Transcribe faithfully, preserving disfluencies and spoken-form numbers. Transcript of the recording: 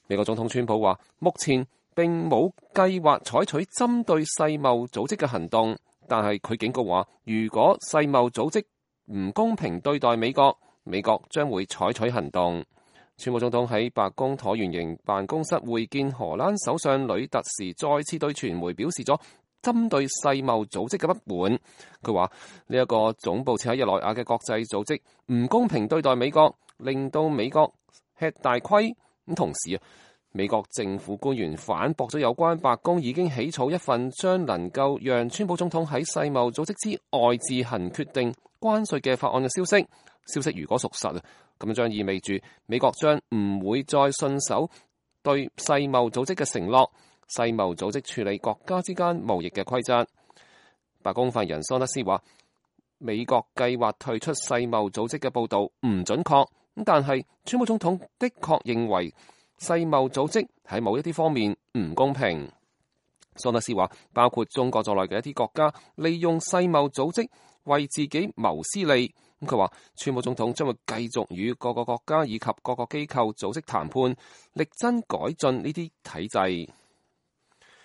美國總統川普話，目前並冇計劃採取針對世貿組織嘅行動，但係佢警告話，如果世貿組織唔公平對待美國，美國將會採取行動。川普總統喺白宮橢圓形辦公室會見荷蘭首相呂特時，再次對傳媒表示咗針對世貿組織嘅不滿。佢話呢一個總部設喺日內瓦嘅國際組織唔公平對待美國，令到美國吃大虧。咁同時啊，美國政府官員反駁咗有關白宮已經起草一份將能夠讓川普總統喺世貿組織之外自行決定關稅嘅法案嘅消息。消息如果屬實啊，咁將意味住美國將唔會再信守對世貿組織嘅承諾。世貿組織處理國家之間貿易嘅規則。白宮發言人桑德斯話，美國計劃退出世貿組織嘅報導唔準確，但係川普總統的確認為世貿組織喺某一啲方面唔公平。桑德斯話，包括中國在內嘅一啲國家利用世貿組織為自己謀私利。咁佢話，川普總統將會繼續與各個國家以及各個機構組織談判，力爭改進呢啲體制。